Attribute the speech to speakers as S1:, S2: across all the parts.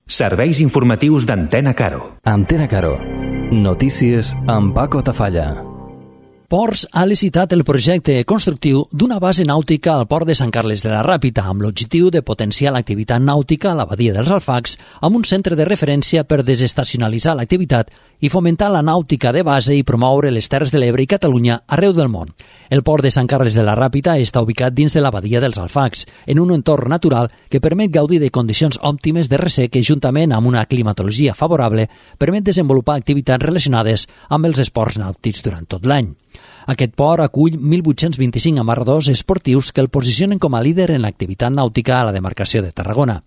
S1: Serveis informatius d'Antena Caro.
S2: Antena Caro. Notícies amb Paco Tafalla.
S3: Ports ha licitat el projecte constructiu d'una base nàutica al port de Sant Carles de la Ràpita amb l'objectiu de potenciar l'activitat nàutica a la badia dels Alfacs amb un centre de referència per desestacionalitzar l'activitat i fomentar la nàutica de base i promoure les Terres de l'Ebre i Catalunya arreu del món. El port de Sant Carles de la Ràpita està ubicat dins de la badia dels Alfacs, en un entorn natural que permet gaudir de condicions òptimes de ressec que, juntament amb una climatologia favorable, permet desenvolupar activitats relacionades amb els esports nàutics durant tot l'any. Aquest port acull 1.825 amarradors esportius que el posicionen com a líder en l'activitat nàutica a la demarcació de Tarragona.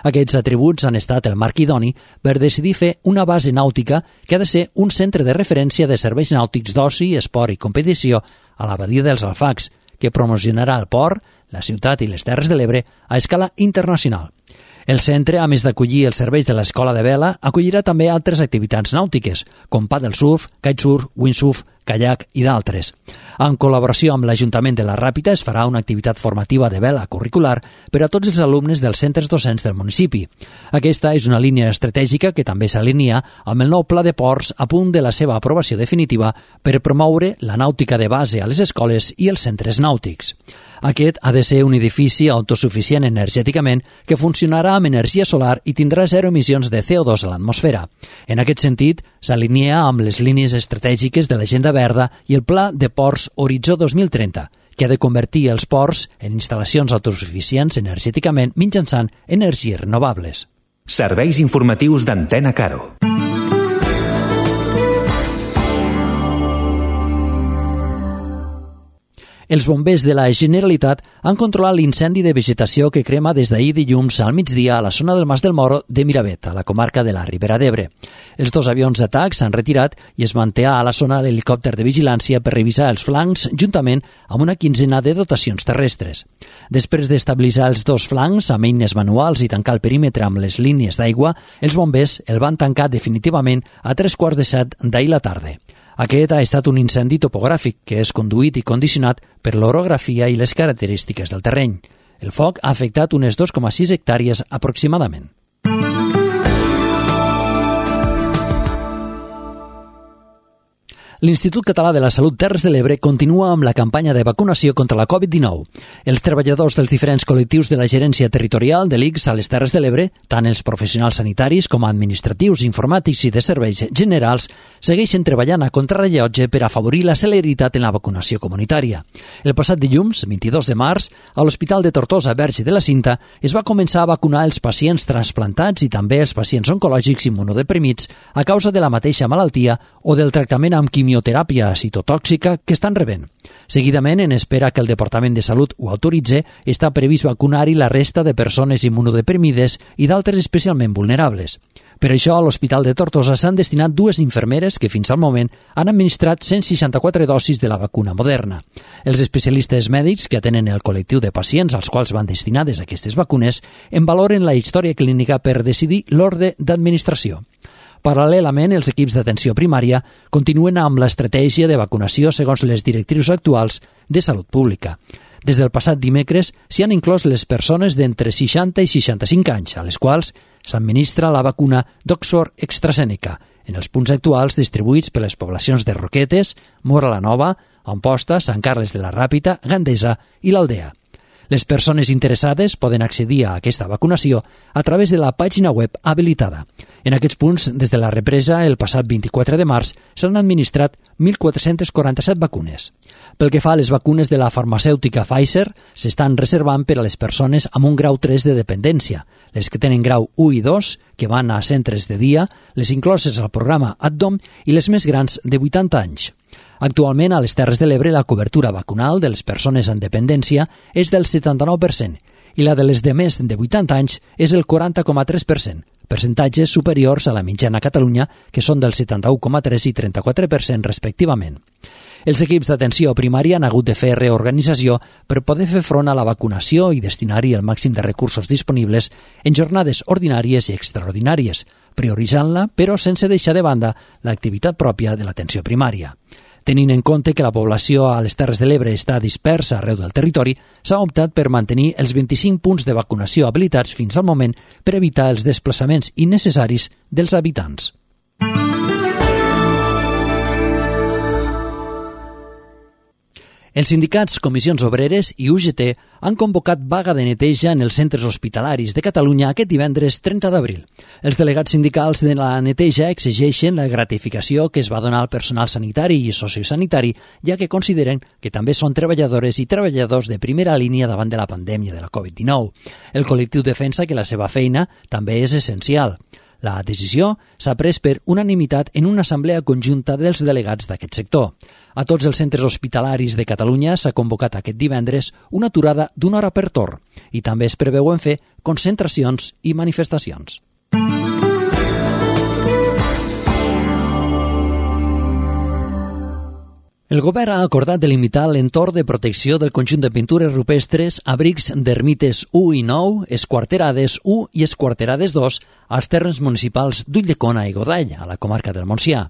S3: Aquests atributs han estat el marc idoni per decidir fer una base nàutica que ha de ser un centre de referència de serveis nàutics d'oci, esport i competició a la badia dels Alfacs, que promocionarà el port, la ciutat i les Terres de l'Ebre a escala internacional. El centre, a més d'acollir els serveis de l'escola de vela, acollirà també altres activitats nàutiques, com paddle surf, kitesurf, windsurf, kayak i d'altres. En col·laboració amb l'Ajuntament de la Ràpita es farà una activitat formativa de vela curricular per a tots els alumnes dels centres docents del municipi. Aquesta és una línia estratègica que també s'alinea amb el nou pla de ports a punt de la seva aprovació definitiva per promoure la nàutica de base a les escoles i els centres nàutics. Aquest ha de ser un edifici autosuficient energèticament que funcionarà amb energia solar i tindrà zero emissions de CO2 a l'atmosfera. En aquest sentit, s'alinea amb les línies estratègiques de l'Agenda Verda i el Pla de Ports Horitzó 2030, que ha de convertir els ports en instal·lacions autosuficients energèticament mitjançant energies renovables.
S1: Serveis informatius d'Antena Caro.
S3: Els bombers de la Generalitat han controlat l'incendi de vegetació que crema des d'ahir dilluns al migdia a la zona del Mas del Moro de Miravet, a la comarca de la Ribera d'Ebre. Els dos avions d'atac s'han retirat i es manté a la zona l'helicòpter de vigilància per revisar els flancs juntament amb una quinzena de dotacions terrestres. Després d'estabilitzar els dos flancs amb eines manuals i tancar el perímetre amb les línies d'aigua, els bombers el van tancar definitivament a 3:45 d'ahir la tarda. Aquest ha estat un incendi topogràfic que és conduït i condicionat per l'orografia i les característiques del terreny. El foc ha afectat unes 2,6 hectàrees aproximadament. L'Institut Català de la Salut Terres de l'Ebre continua amb la campanya de vacunació contra la Covid-19. Els treballadors dels diferents col·lectius de la gerència territorial de l'ICS a les Terres de l'Ebre, tant els professionals sanitaris com administratius, informàtics i de serveis generals, segueixen treballant a contrarrellotge per afavorir la celeritat en la vacunació comunitària. El passat dilluns, 22 de març, a l'Hospital de Tortosa Verge de la Cinta es va començar a vacunar els pacients transplantats i també els pacients oncològics immunodeprimits a causa de la mateixa malaltia o del tractament amb quimioteràpia citotòxica que estan rebent. Seguidament, en espera que el Departament de Salut ho autoritze, està previst vacunar-hi la resta de persones immunodeprimides i d'altres especialment vulnerables. Per això, a l'Hospital de Tortosa s'han destinat 2 infermeres que fins al moment han administrat 164 dosis de la vacuna Moderna. Els especialistes mèdics que atenen el col·lectiu de pacients als quals van destinades aquestes vacunes en valoren la història clínica per decidir l'ordre d'administració. Paral·lelament, els equips d'atenció primària continuen amb l'estratègia de vacunació segons les directrius actuals de salut pública. Des del passat dimecres s'hi han inclòs les persones d'entre 60 i 65 anys, a les quals s'administra la vacuna d'Oxford AstraZeneca, en els punts actuals distribuïts per les poblacions de Roquetes, Móra la Nova, Amposta, Sant Carles de la Ràpita, Gandesa i l'Aldea. Les persones interessades poden accedir a aquesta vacunació a través de la pàgina web habilitada. En aquests punts, des de la represa, el passat 24 de març, s'han administrat 1.447 vacunes. Pel que fa a les vacunes de la farmacèutica Pfizer, s'estan reservant per a les persones amb un grau 3 de dependència, les que tenen grau 1 i 2, que van a centres de dia, les incloses al programa ADDOM i les més grans de 80 anys. Actualment, a les Terres de l'Ebre, la cobertura vacunal de les persones amb dependència és del 79% i la de les de més de 80 anys és el 40,3%, percentatges superiors a la mitjana a Catalunya, que són del 71,3% i 34% respectivament. Els equips d'atenció primària han hagut de fer reorganització per poder fer front a la vacunació i destinar-hi el màxim de recursos disponibles en jornades ordinàries i extraordinàries, prioritzant-la, però sense deixar de banda l'activitat pròpia de l'atenció primària. Tenint en compte que la població a les Terres de l'Ebre està dispersa arreu del territori, s'ha optat per mantenir els 25 punts de vacunació habilitats fins al moment per evitar els desplaçaments innecessaris dels habitants. Els sindicats, comissions obreres i UGT han convocat vaga de neteja en els centres hospitalaris de Catalunya aquest divendres 30 d'abril. Els delegats sindicals de la neteja exigeixen la gratificació que es va donar al personal sanitari i sociosanitari, ja que consideren que també són treballadores i treballadors de primera línia davant de la pandèmia de la Covid-19. El col·lectiu defensa que la seva feina també és essencial. La decisió s'ha pres per unanimitat en una assemblea conjunta dels delegats d'aquest sector. A tots els centres hospitalaris de Catalunya s'ha convocat aquest divendres una aturada d'una hora per torn i també es preveuen fer concentracions i manifestacions. El govern ha acordat delimitar l'entorn de protecció del conjunt de pintures rupestres, abrics d'ermites 1 i 9, esquarterades 1 i esquarterades 2 als terres municipals d'Ulldecona i Godall, a la comarca del Montsià.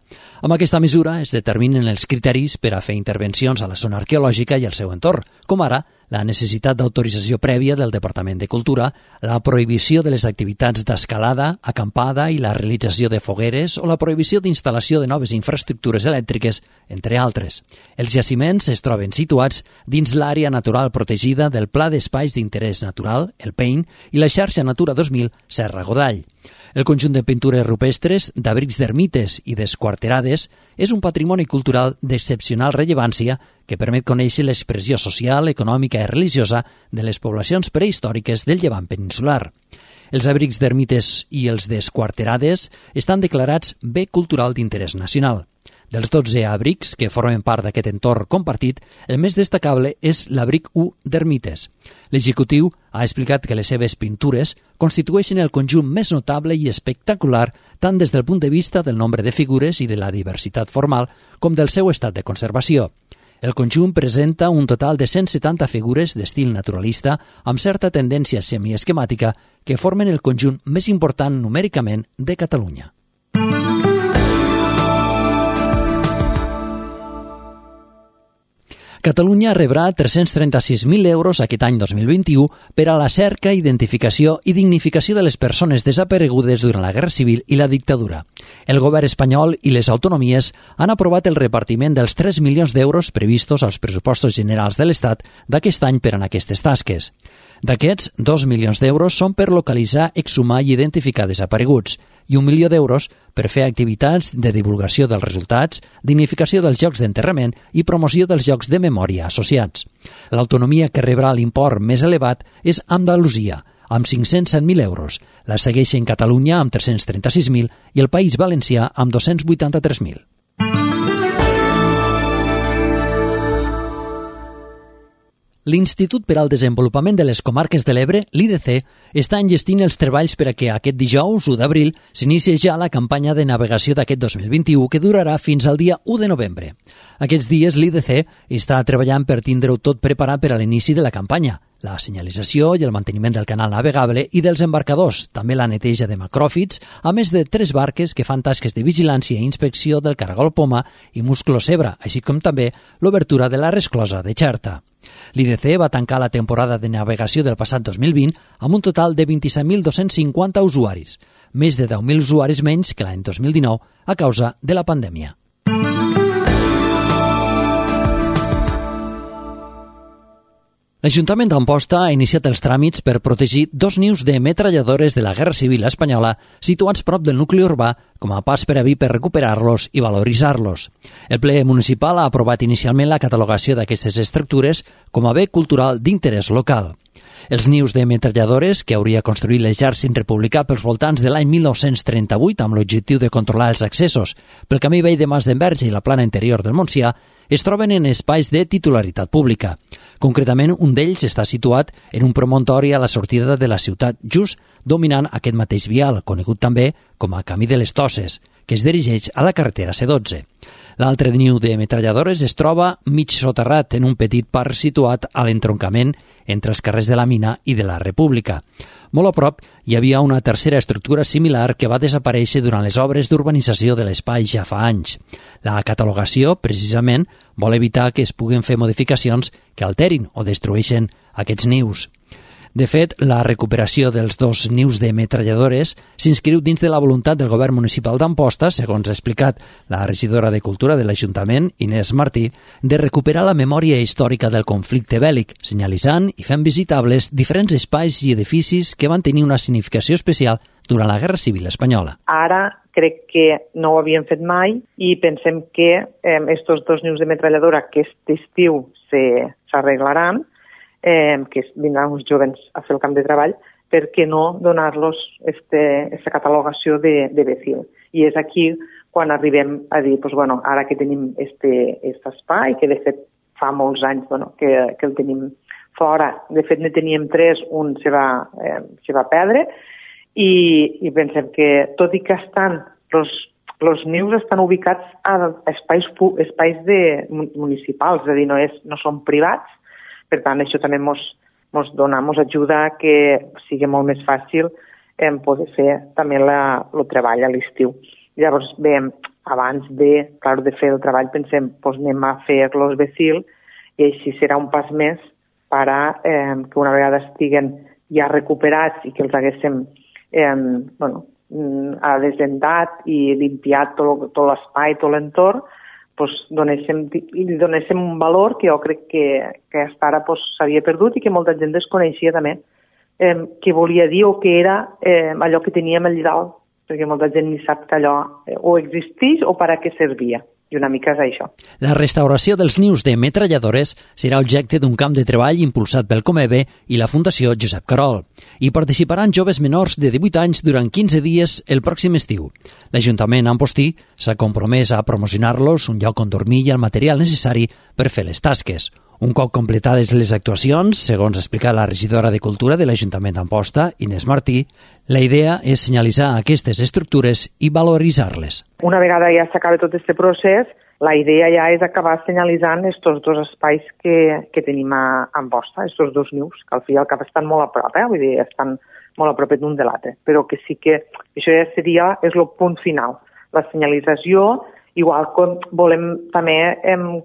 S3: Amb aquesta mesura es determinen els criteris per a fer intervencions a la zona arqueològica i al seu entorn, com ara la necessitat d'autorització prèvia del Departament de Cultura, la prohibició de les activitats d'escalada, acampada i la realització de fogueres o la prohibició d'instal·lació de noves infraestructures elèctriques, entre altres. Els jaciments es troben situats dins l'àrea natural protegida del Pla d'Espais d'Interès Natural, el PEIN, i la xarxa Natura 2000 Serra Godall. El conjunt de pintures rupestres, d'abrics d'ermites i d'esquarterades és un patrimoni cultural d'excepcional rellevància que permet conèixer l'expressió social, econòmica i religiosa de les poblacions prehistòriques del Llevant peninsular. Els abrics d'ermites i els d'esquarterades estan declarats bé cultural d'interès nacional. Dels 12 abrics que formen part d'aquest entorn compartit, el més destacable és l'abric 1 d'ermites. L'executiu ha explicat que les seves pintures constitueixen el conjunt més notable i espectacular tant des del punt de vista del nombre de figures i de la diversitat formal com del seu estat de conservació. El conjunt presenta un total de 170 figures d'estil naturalista amb certa tendència semiesquemàtica que formen el conjunt més important numèricament de Catalunya. Catalunya rebrà 336.000 euros aquest any 2021 per a la cerca, identificació i dignificació de les persones desaparegudes durant la Guerra Civil i la dictadura. El govern espanyol i les autonomies han aprovat el repartiment dels 3 milions d'euros previstos als pressupostos generals de l'Estat d'aquest any per a aquestes tasques. D'aquests, 2 milions d'euros són per localitzar, exhumar i identificar desapareguts i 1 milió d'euros per fer activitats de divulgació dels resultats, dignificació dels llocs d'enterrament i promoció dels llocs de memòria associats. L'autonomia que rebrà l'import més elevat és Andalusia, amb 507.000 euros. La segueixen Catalunya amb 336.000 i el País Valencià amb 283.000. L'Institut per al Desenvolupament de les Comarques de l'Ebre, l'IDC, està enllestint els treballs per a que aquest dijous, 1 d'abril, s'inicie ja la campanya de navegació d'aquest 2021 que durarà fins al dia 1 de novembre. Aquests dies l'IDC està treballant per tindre-ho tot preparat per a l'inici de la campanya, la senyalització i el manteniment del canal navegable i dels embarcadors, també la neteja de macròfits, a més de 3 barques que fan tasques de vigilància i inspecció del caragol poma i musclo zebra, així com també l'obertura de la resclosa de Xerta. L'IDC va tancar la temporada de navegació del passat 2020 amb un total de 27.250 usuaris, més de 10.000 usuaris menys que l'any 2019 a causa de la pandèmia. L'Ajuntament d'Amposta ha iniciat els tràmits per protegir 2 nius de metralladores de la Guerra Civil espanyola situats prop del nucli urbà com a pas previ per recuperar-los i valoritzar-los. El ple municipal ha aprovat inicialment la catalogació d'aquestes estructures com a bé cultural d'interès local. Els nius de metralladores que hauria construït l'exèrcit republicà pels voltants de l'any 1938 amb l'objectiu de controlar els accessos pel camí vell de Mas d'Enverge i la plana interior del Montsià es troben en espais de titularitat pública. Concretament, un d'ells està situat en un promontori a la sortida de la ciutat, just dominant aquest mateix vial, conegut també com a Camí de les Tosses, que es dirigeix a la carretera C12. L'altre niu de metralladores es troba mig soterrat en un petit parc situat a l'entroncament entre els carrers de la Mina i de la República. Molt a prop hi havia una tercera estructura similar que va desaparèixer durant les obres d'urbanització de l'espai ja fa anys. La catalogació, precisament, vol evitar que es puguen fer modificacions que alterin o destrueixen aquests nius. De fet, la recuperació dels 2 nius de metralladores s'inscriu dins de la voluntat del govern municipal d'Amposta, segons ha explicat la regidora de Cultura de l'Ajuntament, Inés Martí, de recuperar la memòria històrica del conflicte bèl·lic, senyalitzant i fent visitables diferents espais i edificis que van tenir una significació especial durant la Guerra Civil Espanyola.
S4: Ara crec que no ho havíem fet mai i pensem que estos 2 nius de metralladora que aquest estiu s'arreglaran, que vindran uns joves a fer el camp de treball, per què no donar-los aquesta catalogació de BECIL. I és aquí quan arribem a dir, ara que tenim aquest espai, que de fet fa molts anys que el tenim fora, de fet ne teníem 3, un se va perdre, i pensem que tot i que els nius estan ubicats a espais municipals, és a dir, no són privats. Per tant, això també ens ajuda a que sigui molt més fàcil poder fer també el treball a l'estiu. Llavors, bé, abans de fer el treball, pensem, anem a fer-los BECIL i així serà un pas més per a que una vegada estiguen ja recuperats i que els haguéssim desendat i limpiat tot l'espai, tot l'entorn, donéssim un valor que jo crec que fins ara s'havia perdut i que molta gent desconeixia també què volia dir o què era allò que teníem allà dalt, perquè molta gent ni sap que allò o existeix o per a què servia. I una mica és això.
S3: La restauració dels nius de metralladores serà objecte d'un camp de treball impulsat pel Comebe i la Fundació Josep Carol. Hi participaran joves menors de 18 anys durant 15 dies el pròxim estiu. L'Ajuntament ampostí s'ha compromès a promocionar-los un lloc on dormir i el material necessari per fer les tasques. Un cop completades les actuacions, segons ha explicat la regidora de Cultura de l'Ajuntament d'Amposta, Inés Martí, la idea és senyalitzar aquestes estructures i valoritzar-les.
S4: Una vegada ja s'acaba tot aquest procés, la idea ja és acabar senyalitzant aquests 2 espais que tenim a Amposta, aquests 2 nius, que al fi i al cap estan molt a prop, vull dir, estan molt a prop d'un de l'altre, però que sí que això ja és el punt final. La senyalització, igual com volem també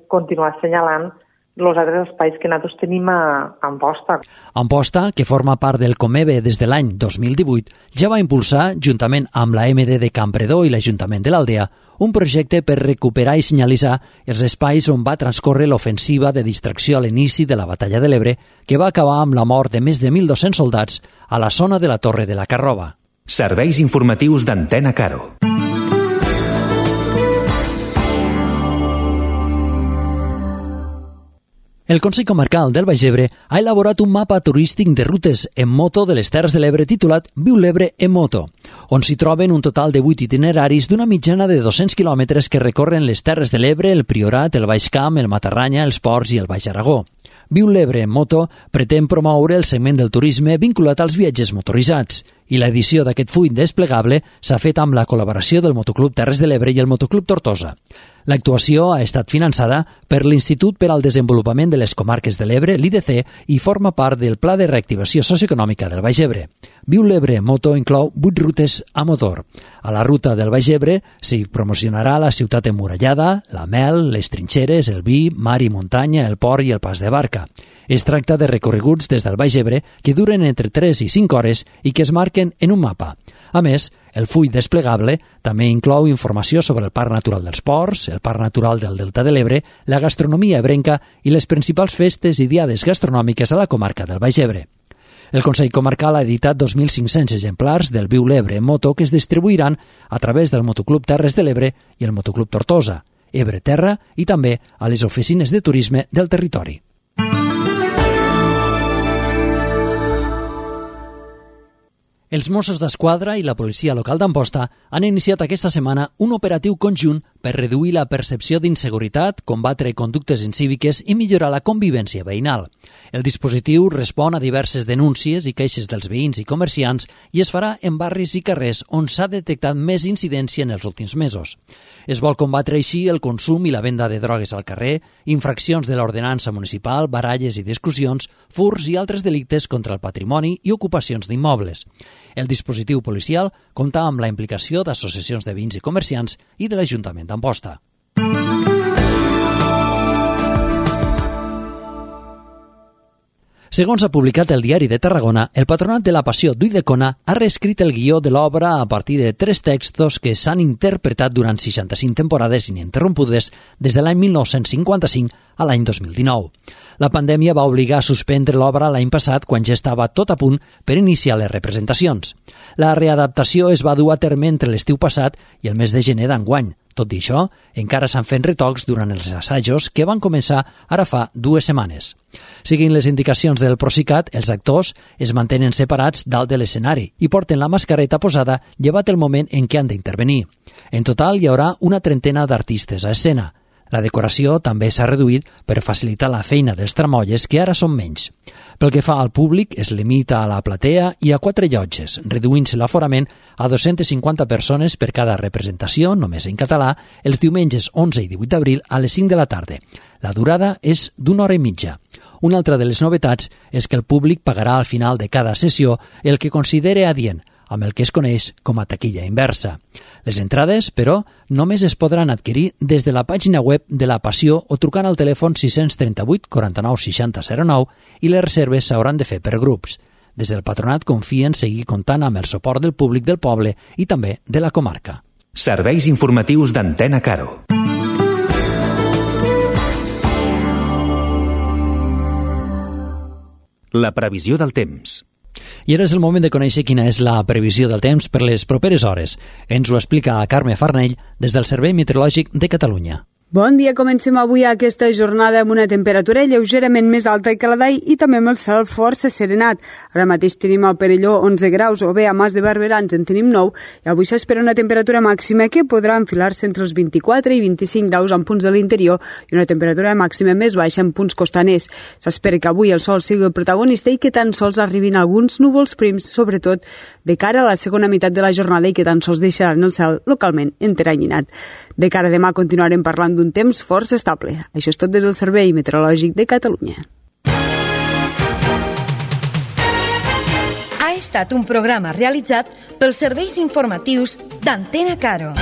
S4: continuar assenyalant els altres espais que nosaltres tenim a Amposta.
S3: Amposta, que forma part del Comebe des de l'any 2018, ja va impulsar, juntament amb la MD de Campredó i l'Ajuntament de l'Aldea, un projecte per recuperar i senyalitzar els espais on va transcórrer l'ofensiva de distracció a l'inici de la Batalla de l'Ebre, que va acabar amb la mort de més de 1.200 soldats a la zona de la Torre de la Carrova.
S1: Serveis informatius d'Antena Caro.
S3: El Consell Comarcal del Baix Ebre ha elaborat un mapa turístic de rutes en moto de les Terres de l'Ebre titulat Viu l'Ebre en moto, on s'hi troben un total de 8 itineraris d'una mitjana de 200 quilòmetres que recorren les Terres de l'Ebre, el Priorat, el Baix Camp, el Matarranya, els Ports i el Baix Aragó. Viu l'Ebre en moto pretén promoure el segment del turisme vinculat als viatges motoritzats i l'edició d'aquest full desplegable s'ha fet amb la col·laboració del Motoclub Terres de l'Ebre i el Motoclub Tortosa. L'actuació ha estat finançada per l'Institut per al Desenvolupament de les Comarques de l'Ebre, l'IDC, i forma part del Pla de Reactivació Socioeconòmica del Baix Ebre. Viu l'Ebre en moto inclou 8 rutes a motor. A la ruta del Baix Ebre s'hi promocionarà la ciutat emmurallada, la mel, les trinxeres, el vi, mar i muntanya, el port i el pas de barca. Es tracta de recorreguts des del Baix Ebre que duren entre 3 i 5 hores i que es marquen en un mapa. A més, el full desplegable també inclou informació sobre el Parc Natural dels Ports, el Parc Natural del Delta de l'Ebre, la gastronomia ebrenca i les principals festes i diades gastronòmiques a la comarca del Baix Ebre. El Consell Comarcal ha editat 2.500 exemplars del Viu l'Ebre en moto que es distribuiran a través del Motoclub Terres de l'Ebre i el Motoclub Tortosa, Ebre Terra i també a les oficines de turisme del territori. Els Mossos d'Esquadra i la policia local d'Amposta han iniciat aquesta setmana un operatiu conjunt per reduir la percepció d'inseguretat, combatre conductes incíviques i millorar la convivència veïnal. El dispositiu respon a diverses denúncies i queixes dels veïns i comerciants i es farà en barris i carrers on s'ha detectat més incidència en els últims mesos. Es vol combatre així el consum i la venda de drogues al carrer, infraccions de l'ordenança municipal, baralles i discussions, furts i altres delictes contra el patrimoni i ocupacions d'immobles. El dispositiu policial compta amb la implicació d'associacions de veïns i comerciants i de l'Ajuntament d'Amposta. Segons ha publicat el Diari de Tarragona, el Patronat de la Passió d'Ulldecona ha reescrit el guió de l'obra a partir de 3 textos que s'han interpretat durant 65 temporades ininterrompudes des de l'any 1955 a l'any 2019. La pandèmia va obligar a suspendre l'obra l'any passat quan ja estava tot a punt per iniciar les representacions. La readaptació es va dur a terme entre l'estiu passat i el mes de gener d'enguany. Tot i això, encara s'han fet retocs durant els assajos que van començar ara fa 2 setmanes. Seguint les indicacions del Procicat, els actors es mantenen separats dalt de l'escenari i porten la mascareta posada llevat el moment en què han d'intervenir. En total hi haurà una 30 d'artistes a escena. La decoració també s'ha reduït per facilitar la feina dels tramolles, que ara són menys. Pel que fa al públic, es limita a la platea i a 4 llotges, reduint-se l'aforament a 250 persones per cada representació, només en català, els diumenges 11 i 18 d'abril a les 5 de la tarda. La durada és d'1 hora i mitja. Una altra de les novetats és que el públic pagarà al final de cada sessió el que considere adient, amb el que es coneix com a taquilla inversa. Les entrades, però, només es podran adquirir des de la pàgina web de la Passió o trucant al telèfon 638 49 60 09 i les reserves s'hauran de fer per grups. Des del Patronat confien seguir comptant amb el suport del públic del poble i també de la comarca.
S1: Serveis informatius d'Antena Caro. La previsió del temps.
S3: I ara és el moment de conèixer quina és la previsió del temps per les properes hores. Ens ho explica Carme Farnell des del Servei Meteorològic de Catalunya.
S5: Bon dia, comencem avui aquesta jornada amb una temperatura lleugerament més alta que la d'ahir i també amb el cel força serenat. Ara mateix tenim al Perelló 11 graus o bé a Mas de Barberans en tenim 9 i avui s'espera una temperatura màxima que podrà enfilar-se entre els 24 i 25 graus en punts de l'interior i una temperatura màxima més baixa en punts costaners. S'espera que avui el sol sigui el protagonista i que tan sols arribin alguns núvols prims, sobretot de cara a la segona meitat de la jornada i que tan sols deixaran el cel localment enteranyinat. De cara a demà continuarem parlant d'un temps força estable. Això és tot des del Servei Meteorològic de Catalunya.
S6: Ha estat un programa realitzat pels serveis informatius d'Antena Caro.